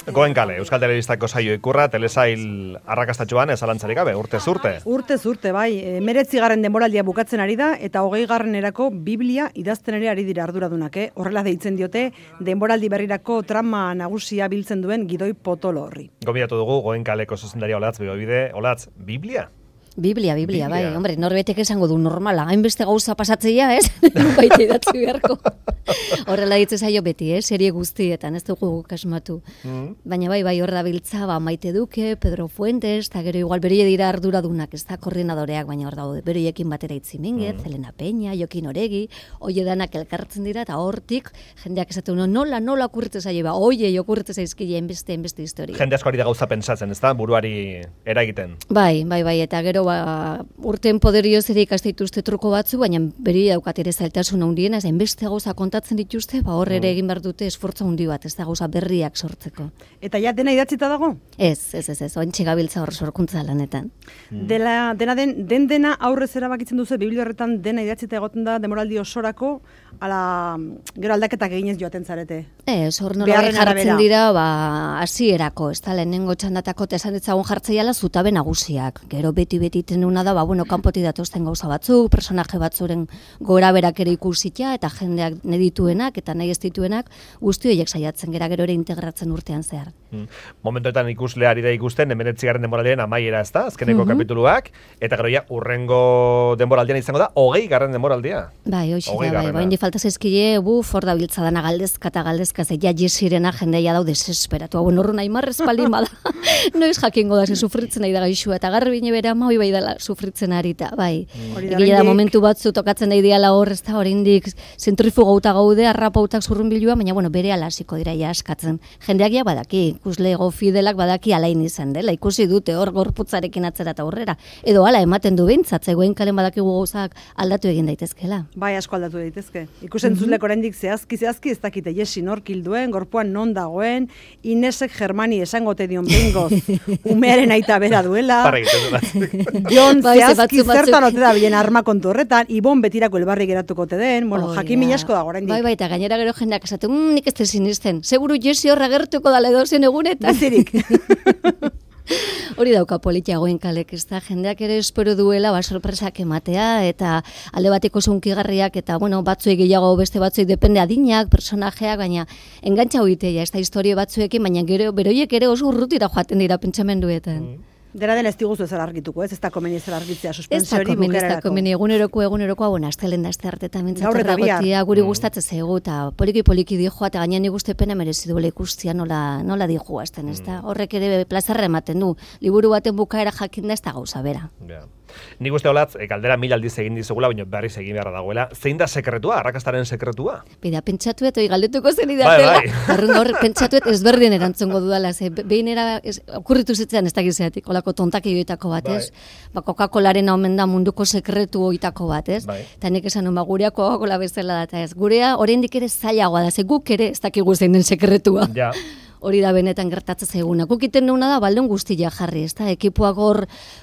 Goenkale, Euskal Telebistako saio ikurra, telesail arrakastatxoan ezalantzarik gabe, urtez urte. Urtez urte, bai. 19. denboraldia bukatzen ari da, eta 20. Biblia idazten ere ari dira arduradunak, Horrela deitzen diote, denboraldi berrirako trama nagusia biltzen duen Gidoi Potolo horri. Gomidatu dugu, Goenkaleko zuzendaria Olatz Bide, Olatz, Biblia? Biblia, bai, hombre, norbetek esango du normala, hainbeste gauza pasatzea, ez? Baita idatzi beharko. Horrela ditze zaio beti, serie guztietan, ez dugu kasmatu. Baina bai, hor da biltza, Maite Duke, Pedro Fuentes, eta gero igual beroie dira arduradunak, ez da koordinadoreak, baina hor daude, beroiekin batera Itzi Minguez, Elena Peña, Jokin Oregi, oie danak elkartzen dira, eta hortik, jendeak esaten nola okurritzen zaio, oie, okurritzen zaizkile, enbeste historia. Jende asko ari da gauza pentsatzen, ez da, buruari eragiten. Bai, eta gero urten poderioz ere ikaste dituzte truko batzu, baina beri daukat ere zailtasun handiena, hainbeste gauza kontatzen dituzte, hor ere egin behar dute esfortza handi bat, ez da gauza berriak sortzeko. Eta ja dena idatzita dago? Ez, ointxe gabiltza hor sorkuntza lanetan. Dena aurrez erabakitzen duzu, Biblia horretan dena idatzita egoten da demoraldi osorako, gero aldaketak eginez joaten zarete. Ez, hor nola jartzen dira, hasierako, ez da, lehenengo txandatako esan ditzagun jartzeiala zutabe nagusiak. Gero beti tenuna da, kanpoti datozten gauza batzuk, personaje batzuren gora berak ere ikusita, eta jendeak nedituenak, eta nahi ez dituenak, guzti horiek saiatzen gero ere integratzen urtean zehar. Momentoetan ikusleari da ikusten, 19. denboraldiaren amaiera ez da, azkeneko kapituluak, eta gero ja, urrengo denboraldian izango da, 20. denboraldia. Bai, bai, falta zezkile, hor da biltza dana galdezka, ja jesirena jendea dau desesperatu. Horro nahi marrez palin bada, noiz jakingo da, sufritzen nahi da gaixua, eta garri bine bera, bai dela sufritzen arita, bai. Egia da momentu batzu tokatzen da ideala hor, ez da, oraindik zentrifugauta gaude, arrapautak zurrunbilua, baina bere alasiko dira ja askatzen. Jendeak ja badaki, ikusle fidelak badaki alain izan dela, ikusi dute hor gorputzarekin atzera eta aurrera. Edo hala ematen du behintzat, Goenkalen badakigu gauzak aldatu egin daitezkela. Bai, asko aldatu daitezke. Ikusentzulek oraindik zehazki ez dakite Jesi nork hilduen, gorpuan non dagoen, Inesek Germani esangote dion behingoz, umearen aita bera duela. Jon zehazki zertan ote da bilen arma kontu horretan, Ibon betirako elbarri geratuko te den, jakin minasko dago oraindik. Bai, eta gainera gero jendeak esaten, nik ez te sinisten, seguru Jesi horra gertuko dale dozen egunetan. Bezirik. Hori dauka politia Goenkalek, ez da, jendeak ere espero duela sorpresak ematea, eta alde bateko zunkigarriak, eta batzuek gehiago beste batzuek depende adinak, personajeak, baina engantza hoitea, ez da, historio batzuekin, baina gero beroiek ere oso urrutira joaten dira pentsamenduetan. Dena den ez diguzu ezer argituko, ez da komeni ezer argitzea suspentsio hori bukerarako. Ez da komeni, egunerokoa, astelen da azte hartetan mintzatorragotia, guri gustatzen zaigu, eta poliki dijoa, eta gainean ikuste pena merezi duela ikustia nola dijoa azten, ez da? Horrek ere plazarra ematen du, liburu baten bukaera jakin da ez da gauza bera. Nik uste Olatz, galdera 1000 aldiz egin dizugula, baina berriz egin beharra dagoela. Zein da sekretua, arrakastaren sekretua? Bida, pentsatuet, galdetuko zen idatela. Hor, pentsatuet ezberdin erantzongo dudala, behin okurritu zitzen ez dakizeatik, olako tontaki joitako bat, ez? Coca-Colaren omen da munduko sekretu oitako bat, ez? Eta nik esan gurea Coca-Cola bezala da, ez? Gurea, oraindik ere zailagoa da, ze guk ere ez dakigu zein den sekretua. Hori da benetan gertatzen zaiguna. Gukiten duguna da baldon guztia jarri, ez da? Ekipuak hor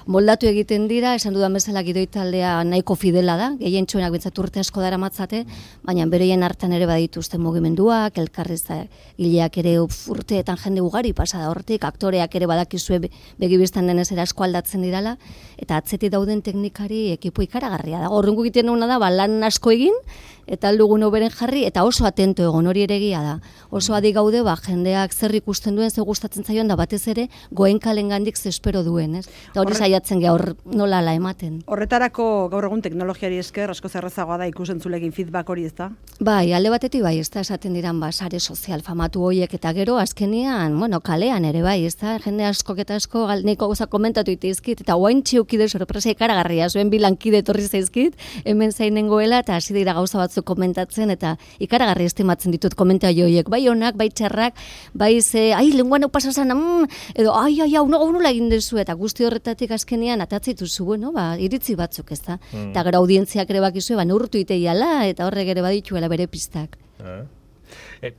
moldatu egiten dira, esan dudan bezala Gidoi taldea nahiko fidela da, gehien txuenak bentsat urte asko dara matzate, baina bereien hartan ere badituzten mugimenduak, elkarrizta gileak ere urteetan jende ugari pasada hortik, aktoreak ere badakizue begibistan denez ere asko aldatzen dirala, eta atzetik dauden teknikari ekipu ikaragarria da. Horren gukiten duguna da, lan asko egin, eta aldugun oberen jarri, eta oso atento egon, hori ere egia da. Oso adi gaude, jendeak zer ikusten duen, zer gustatzen zaion, da batez ere, Goenkalen gandik ze espero duen, ez? Eta hori saiatzen gaur nola ala ematen. Horretarako gaur egun teknologiari esker, asko zerrezagoa da ikusentzulekin feedback hori, ez da? Bai, alde batetik bai, ez da, esaten diran, sare sozial famatu horiek, eta gero, azkenian, kalean ere bai, ez da, jende askok eta asko, neko gauza komentatu iteizkit, eta guain txiukide sorpresa ikaragarria, zuen bilankide etorri zaizkit, hemen zainengoela, eta hasi dira gauza batzu komentatzen, eta ikaragarri estimatzen ditut komentario horiek, bai onak, bai txarrak, bai ze, lenguan hau pasazan, edo, hau nola egin dezu, eta guzti horretatik azkenean atatzitu zu, iritzi batzuk, ez da? Eta gara audientziak ere bakizue, neurtu iteiala, eta horrek ere badituela bere pistak.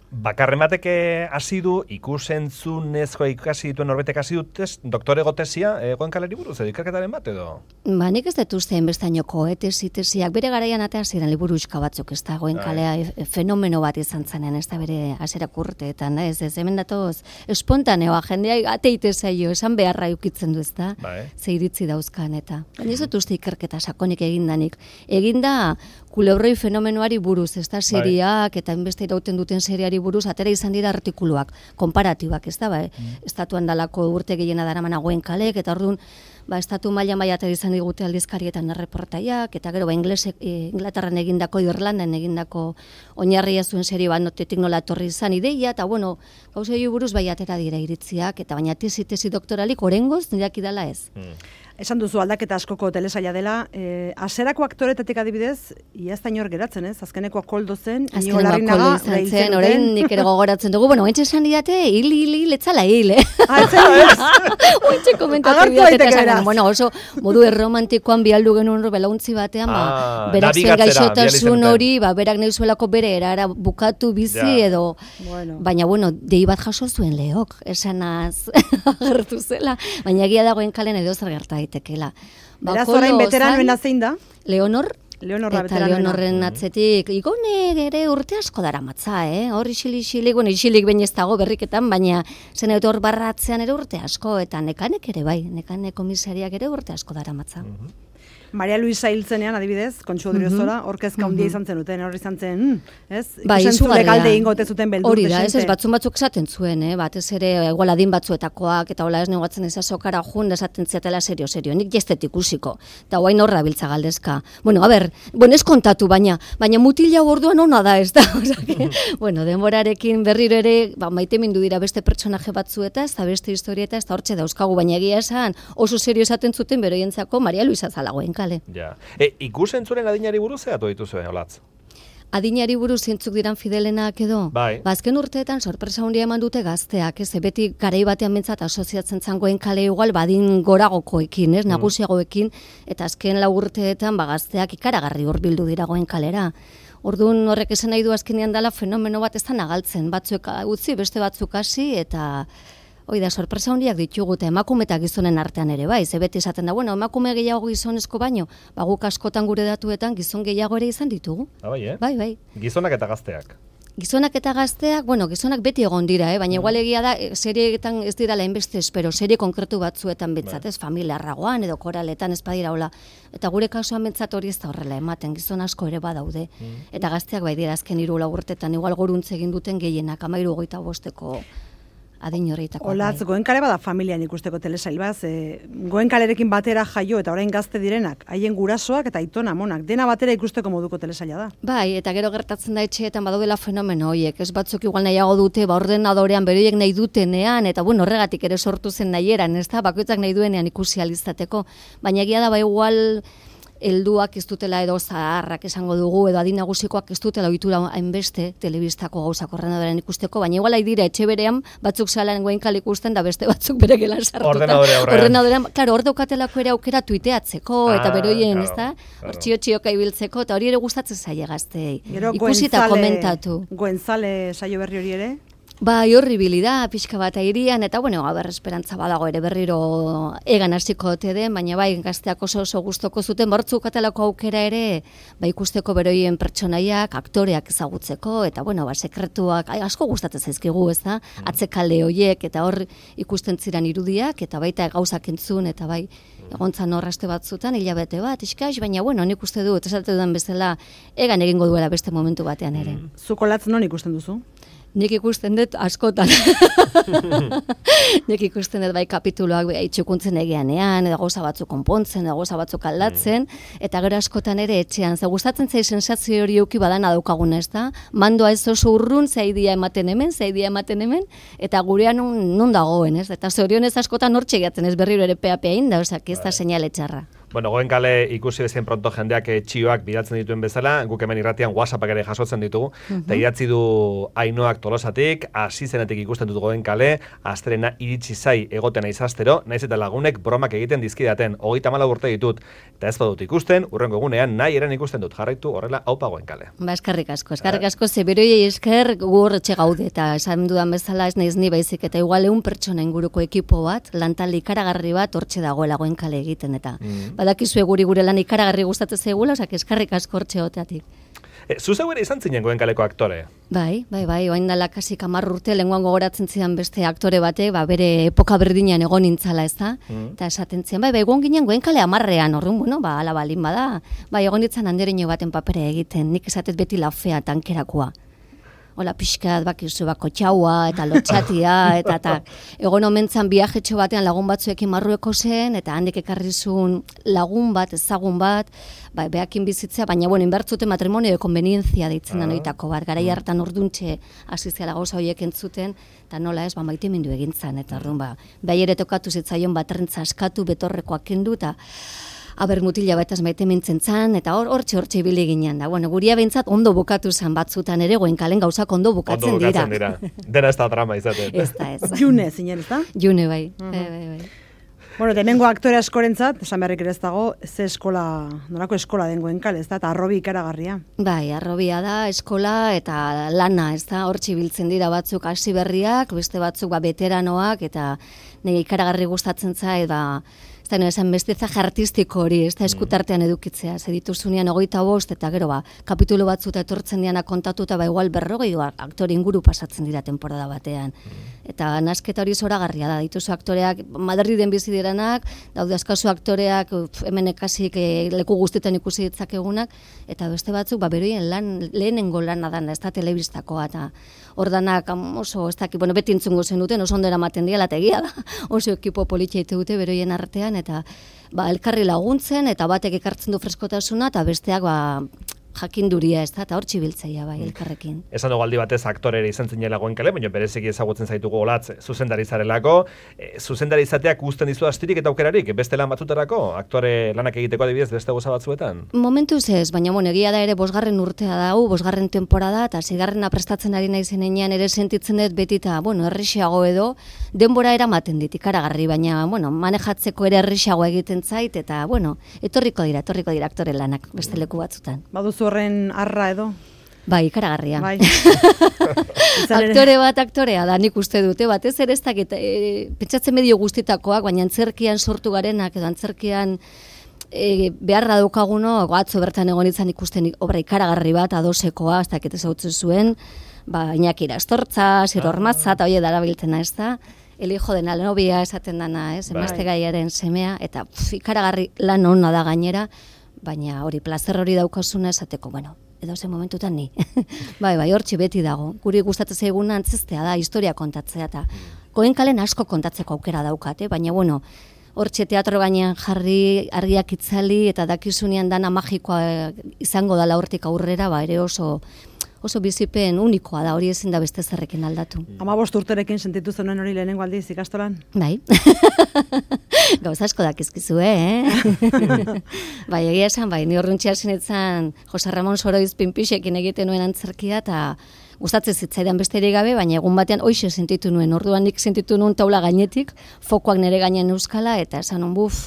Bakarren batek hasi du, ikusentzunezko ikasi dituen norbetek hasi dutez, doktorego tesia, Goenkaleri buruz, edo ikerketaren bat edo? Ba, nik ez dut uste enbestainoko, tesiak bere garaian atea ziren liburuxka batzuk, ez da, Goenkalea fenomeno bat izan zanen, ez da bere aserak urteetan, ez hemen datoz, espontaneoa, jendea ateite zaio, esan beharra ukitzen du, ez da, ze iritzi dauzkan, eta. Baina ez dut uste ikerketa sakonik egindanik. Eginda, kulebroi fenomenoari buruz, ez da, seriak, eta enbeste irauten duten seriari buruz, atera izan dira artikuluak, konparatibak, ez da, estatuan dalako urte gehiena daramana Goenkalek, eta orduan, estatu mailan atera izan digute aldizkarietan erreportaiak, eta gero, Inglaterran egindako, Irlandan egindako oinarria zuen serie bat notetik nola etorri izan ideia, eta bueno, gauzei buruz atera dira iritziak, eta baina tesi doktoralik orengoz nirak idala ez. Esan duzu aldaketa askoko telesaila dela, aserako aktoretatik adibidez, iazta inor geratzen, ez? Azkenekoa koldo zen, Azkenekoa koldo izan zen, orain nik ere gogoratzen dugu, bueno, ointxe esan didate, hil, letzala hil, Ointxe komentatu didate, bueno, oso modu erromantikoan bialdu genuen belauntzi batean, berak zuen gaixotasun hori, berak nahi zuelako bere erara bukatu bizi edo, baina, bueno, dei bat jaso zuen Leok, esanaz agertu zela, baina egia dagoen kalen edo zer gerta daitekela. Beraz orain veteranoena zein da? Leonor, Leonorra eta Leonorren atzetik, igone ere urte asko dara matza, hor isilik bain ez dago berriketan, baina zen hor barratzean ere urte asko, eta nekanek ere bai, nekane komisariak ere urte asko dara matza. Maria Luisa hiltzenean, adibidez, Kontxu Odriozola, orkezka handia izan zenuten, hor izan zen, ez? Ikusentzule galde ingote zuten beldur. Hori da, ez batzuk esaten zuen, batez ere igual adin batzuetakoak, eta hola ez negoatzen ezazokara jun, esaten ziatela serio, nik jestet ikusiko, eta hoain horra biltza galdezka. Bueno, ez kontatu, baina mutila orduan ona da, ez da? Bueno, denborarekin berriro ere, maite mindu dira beste pertsonaje batzuetaz, eta beste historieta, ez da hortxe dauzkagu, baina egia esan, oso serio esaten zuten beroientzako Maria Luisa zalagoen. Ja. Ikusentzuren adinari buruz egatu dituzue, Olatz? Adinari buruz zintzuk diran fidelenak edo? Bai. Azken urteetan sorpresa handia eman dute gazteak, ez? Beti garai batean bentsat asoziatzen zangoen kale igual badin goragokoekin, ez? Nagusiagoekin, eta azken 4 urteetan gazteak ikaragarri hurbildu dira Goen kalera. Orduan horrek esan nahi du azkenean dela fenomeno bat ez da nagaltzen, batzuek utzi, beste batzuk hasi, eta hoi da, sorpresa handiak ditugu, eta emakume eta gizonen artean ere, bai, ze beti esaten da, bueno, emakume gehiago gizonezko baino, guk askotan gure datuetan gizon gehiago ere izan ditugu. Bai, Bai. Gizonak eta gazteak. Gizonak eta gazteak, bueno, gizonak beti egon dira, baina igual egia da, serieetan ez dira lainbeste espero, serie konkretu batzuetan bentsat, ez, familiarragoan edo koraletan ez badira hola, eta gure kasuan bentsat hori ez da horrela ematen, gizon asko ere badaude, eta gazteak bai dira azken 3 urtetan, igual goruntze egin duten gehienak, 13-25 adin horretako. Olatz, Goenkale bada familian ikusteko telesail bat, Goenkalerekin batera jaio eta orain gazte direnak, haien gurasoak eta aitona amonak, dena batera ikusteko moduko telesaila da. Bai, eta gero gertatzen da etxeetan badaudela fenomeno horiek, ez batzuk igual nahiago dute, ordenadorean beroiek nahi dutenean, eta bueno, horregatik ere sortu zen nahieran, ez da, bakoitzak nahi duenean ikusi alizateko, baina egia da igual helduak ez dutela edo zaharrak esango dugu, edo adin nagusikoak ez dutela ohitura hainbeste telebistako gauzak ordenadorean ikusteko, baina igual dira etxe berean batzuk salan Goenkale ikusten da beste batzuk bere gelan sartuta. Ordenadorean, claro, hor daukatelako ere aukera tuiteatzeko eta beroien, ezta? Hor txio-txioka ibiltzeko eta hori ere gustatzen zaie gazteei. Ikusi eta komentatu. Goenzale saio berri hori ere? Bai, horribili da, pixka bat airian, eta bueno, esperantza badago ere berriro egan hasiko ote den, baina bai, gazteak oso gustoko zuten, bortzuk atalako aukera ere, ikusteko beroien pertsonaiak, aktoreak ezagutzeko, eta bueno, sekretuak, asko gustatzen zaizkigu, ez da, atzekalde hoiek, eta hor ikusten ziren irudiak, eta baita gauzak entzun, eta bai, egontzan horraste batzutan, hilabete bat, iskaix, baina bueno, nik uste dut, esate dudan bezala, egan egingo duela beste momentu batean ere. Zuko Latz non ikusten duzu? Nik ikusten dut askotan. Nik ikusten dut bai kapituloak itxukuntzen egianean, edo gauza batzuk konpontzen, edo gauza batzuk aldatzen, eta gero askotan ere etxean. Ze gustatzen zai sensazio hori euki badana daukaguna, ez da? Mandoa ez oso urrun, zaidia ematen hemen, eta gurean non dagoen, ez? Eta zorionez askotan hortxe gehatzen ez berriro ere pea inda, ez da seinale txarra. Bueno, Goenkale ikusi bezien pronto jendeak txioak bidaltzen dituen bezala, guk hemen irratian WhatsAppak ere jasotzen ditugu, eta idatzi du Ainoak Tolosatik, hasi zenetik ikusten dut Goenkale, astrena iritsi zai egoten izastero, naiz eta lagunek bromak egiten dizkidaten, 34 urte ditut, eta ez badut ikusten, urrengo egunean nahi eren ikusten dut, jarraitu horrela aupa Goenkale. Ba, eskerrik asko, zeberoiei esker gu horretxe gaude, eta esan dudan bezala ez naiz ni baizik, eta igual 100 pertsona inguruko ekipo bat, lantalde ikaragarri bat hortxe dagoela Goenkale egiten, eta badakizue gure lan ikaragarri gustatzen zaigula, osak eskarrik asko hortxe oteatik. Zu zeu ere izan zinen Goenkaleko aktore? Bai, oain dela kasi 10 urte lenguan gogoratzen zidan beste aktore batek, bere epoka berdinean egon nintzala, ez da? Eta esaten zian, egon ginen Goenkale 10ean, orrun, ala balin bada, egon ditzan andereño baten papere egiten, nik esatet beti laufea tankerakoa. Hola pixkat, bakizu, kotxaua, eta lotxatia, eta egon omentzan viajetxo batean lagun batzuekin Marrueko zen, eta handik ekarrizun lagun bat, ezagun bat, behakin bizitzea, baina, inbertzuten matrimonio de konvenientzia deitzen da noitako bat, garai hartan orduntxe asiziala gauza horiek entzuten, eta nola ez, maite mindu egintzan, eta orduan, behar ere tokatu zitzaion baterrentza askatu, betorrekoak kendu, eta aber mutila bataz maite mintzen zan, eta hortxe ibili ginen da. Guria behintzat ondo bukatu zen batzutan ere, Goenkalen gauzak ondo bukatzen dira. Dena ez da drama izaten. Ez da. June, zinen, ez da? June, bai. Hemengo aktore askorentzat, esan beharrik ere ez dago, nolako eskola den Goenkale, ez da, eta arrobi ikaragarria. Bai, arrobia da, eskola eta lana, ez da, hortxe biltzen dira batzuk hasi berriak, beste batzuk veteranoak, eta nire ikaragarri gustatzen zait, ez da, esan bestezaje artistiko hori, ez da, eskutartean edukitzea, ze dituzunean 25, eta gero, kapitulu batzuta etortzen diana kontatuta, igual 40 aktore inguru pasatzen dira temporada batean. Eta nasketa hori zoragarria da, dituzu aktoreak, Madriden bizi diranak, daude askazu aktoreak, hemen ekasik leku guztietan ikusi ditzakegunak, eta beste batzuk, beroien lehenengo lana da, ez da, telebistakoa, eta hor danak oso, ez dakit, beti entzungo zen duten, oso ondera maten diala, eta egia da, oso ekipo politxeite dute beroien artean, eta elkarri laguntzen, eta batek ekartzen du freskotasuna, eta besteak jakinduria, ez da, eta hor txibiltzeia elkarrekin. Esan dugu aldi batez aktorere izan zinela Goenkale, baina bereziki ezagutzen zaitugu Olatz zuzendari zarelako. Zuzendari izateak uzten dizu astirik eta aukerarik, beste lan batzutarako, aktore lanak egiteko adibidez beste goza batzuetan? Momentuz ez, baina egia da ere 5. urtea dau, 5. temporada, eta 6. prestatzen ari naizenean ere sentitzen dut beti eta, errixeago edo, denbora eramaten dit, ikaragarri, baina, manejatzeko ere errixeago egiten zait, eta, etorriko dira aktore lanak beste leku batzutan. Baduzu horren arra edo? Bai, ikaragarria. Bai. Aktorea da, nik uste dute, batez ere ez dakit, pentsatzen medio guztitakoak, baina antzerkian sortu garenak, edo antzerkian beharra daukaguno, atzo bertan egon izan ikusten obra ikaragarri bat, adosekoa, ez dakit ezautzen zuen, Iñaki Irastortza, Sir Ormatza, eta hori darabiltena, ez da, el hijo de la novia esaten dana, emazte gaiaren semea, eta ikaragarri lan ona da gainera, baina hori plazer hori daukasuna esateko, edo zen momentutan ni. Bai, hortxe beti dago. Guri gustatzen zaiguna antzestea da, historia kontatzea, eta Goenkalen asko kontatzeko aukera daukate, baina hortxe teatro gainean jarri, argiak itzali, eta dakizunean dana magikoa izango dala hortik aurrera, ere oso bizipen unikoa da, hori ezin da beste zerrekin aldatu. 15 urterekin sentitu zenuen hori lehenengo aldiz ikastolan? Bai. Gauza asko dakizkizu, Bai, egia esan, ni horruntxea zinetzen Jose Ramon Soroiz Pinpixekin egiten nuen antzerkia, eta gustatzen zitzaidan besterik gabe, baina egun batean hoixe sentitu nuen, orduan nik sentitu nuen taula gainetik, fokoak nire gainean euskala, eta esan nuen,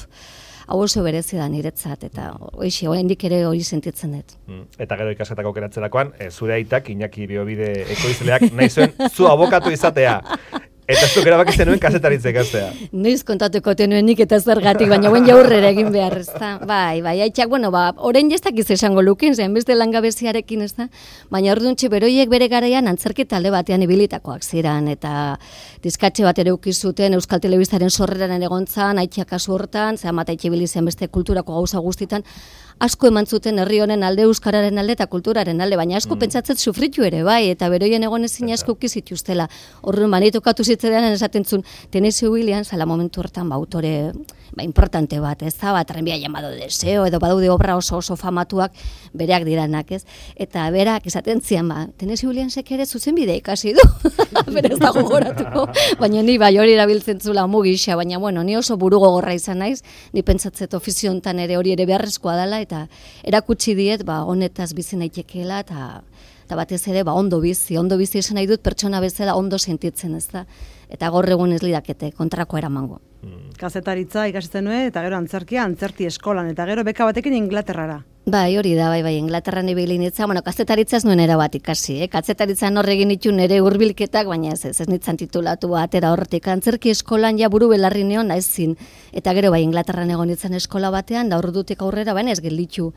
hau oso berezi da niretzat, eta hoixe, oraindik ere hori sentitzen dut. Eta gero ikasketako aukeratzerakoan, zure aitak, Iñaki Biobide ekoizleak, nahi zuen zu abokatu izatea. Eta zuk erabaki zenuen kazetaritza ikastea. Noiz kontatuko tenuen nik eta zergatik, baina jaurrera egin behar, ez da. Bai, aitzak, orain jestakiz esango lukin, zen beste langabeziarekin, ez da. Baina orduntxe beroiek bere garaian antzerki talde batean ibilitakoak ziren, eta diskatxe bat ere ukizuten Euskal Telebistaren sorreran egontzan, aitzak kasu hortan, zehamat aitxe bilizen beste kulturako gauza guztitan, asko eman zuten herri honen alde, euskararen alde eta kulturaren alde, baina asko pentsatzen sufritu ere, bai, eta beroien egon ezin asko ukizituztela. Horren, banitokatu zitzean esaten zuen, Tennessee Williams, ala momentu hortan, autore importante bat, ez da, Tranvía llamado deseo, edo badaude obra oso famatuak bereak diranak, ez? Eta berak esaten zian, Tennessee Williamsek ere zuzenbidea ikasi du, bere ez da gogoratuko, baina ni bai hori erabiltzen zula mugisa, baina bueno, ni oso buru gogorra izan naiz, ni pentsatzet ofizio hontan ere hori ere beharrezkoa dela, eta erakutsi diet, honetaz bizi naitekeela, eta batez ere, ondo bizi esan nahi dut pertsona bezala ondo sentitzen, ez da? Eta gaur egun ez lidakete kontrako eramango. Kazetaritza ikasitzen nuen, eta gero antzerti eskolan, eta gero beka batekin Inglaterrara. Bai, hori da, bai, Inglaterran ibili nintzen, kazetaritza ez nuen erabat ikasi, kazetaritza horregin itxun nire hurbilketak, baina ez nitzan titulatu atera horretik. Antzerki eskolan ja buru belarri neon naizin, eta gero bai, Inglaterran egon nintzen eskola batean, da ordutik aurrera, baina ez gelditu.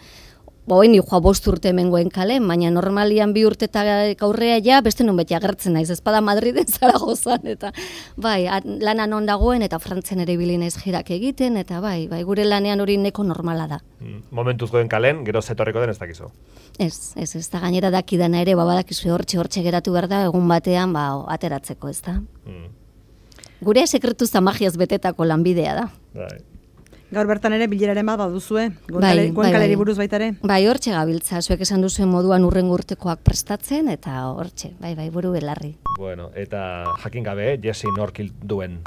Ni joa 5 urte hemengoen kalen, baina normalian 2 urtetak aurrea ja, beste non beti agertzen naiz, ezpada Madriden Zaragozan, eta bai, lana non dagoen, eta Frantzian ere ibili naiz jirak egiten, eta bai, gure lanean hori neko normala da. Momentuz goen kalen, gero zetorreko den ez dakizu? Ez da gainera dakidana ere, badakizu hortxe geratu behar da, egun batean, ateratzeko, ez da. Gure sekretuzta magiaz betetako lanbidea da. Bai. Gaur bertan ere bileraren bat baduzue, Goenkaleri buruz baita ere? Bai, hortxe gabiltza, zuek esan duzuen moduan urrengo urtekoak prestatzen, eta hortxe, bai, buru belarri. Bueno, eta jakin gabe, Jesse norkil duen.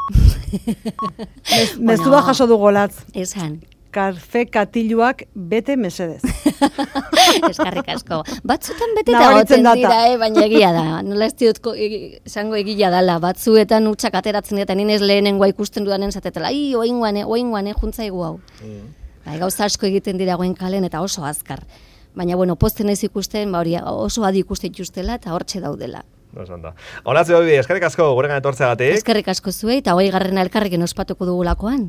Mezu da jaso du golatz. Esan. Kafe katiluak bete mesedez. Eskarrik asko. Batzutan bete eta goten dira, baina egia da. Nola ez diot esango egia dala. Batzuetan utxak ateratzen dira, nien ez lehenengoa ikusten dudanen zatetela. Oinguane, juntzaigu hau. Gauza asko egiten dira Goenkalen eta oso azkar. Baina, posten ez ikusten, oso adi ikusten justela eta hortxe daudela. Hola, Zeobi, eskerrik asko gurengan etortzeagatik. Eskerrik asko zuei, eta 20. elkarrekin ospatuko dugulakoan.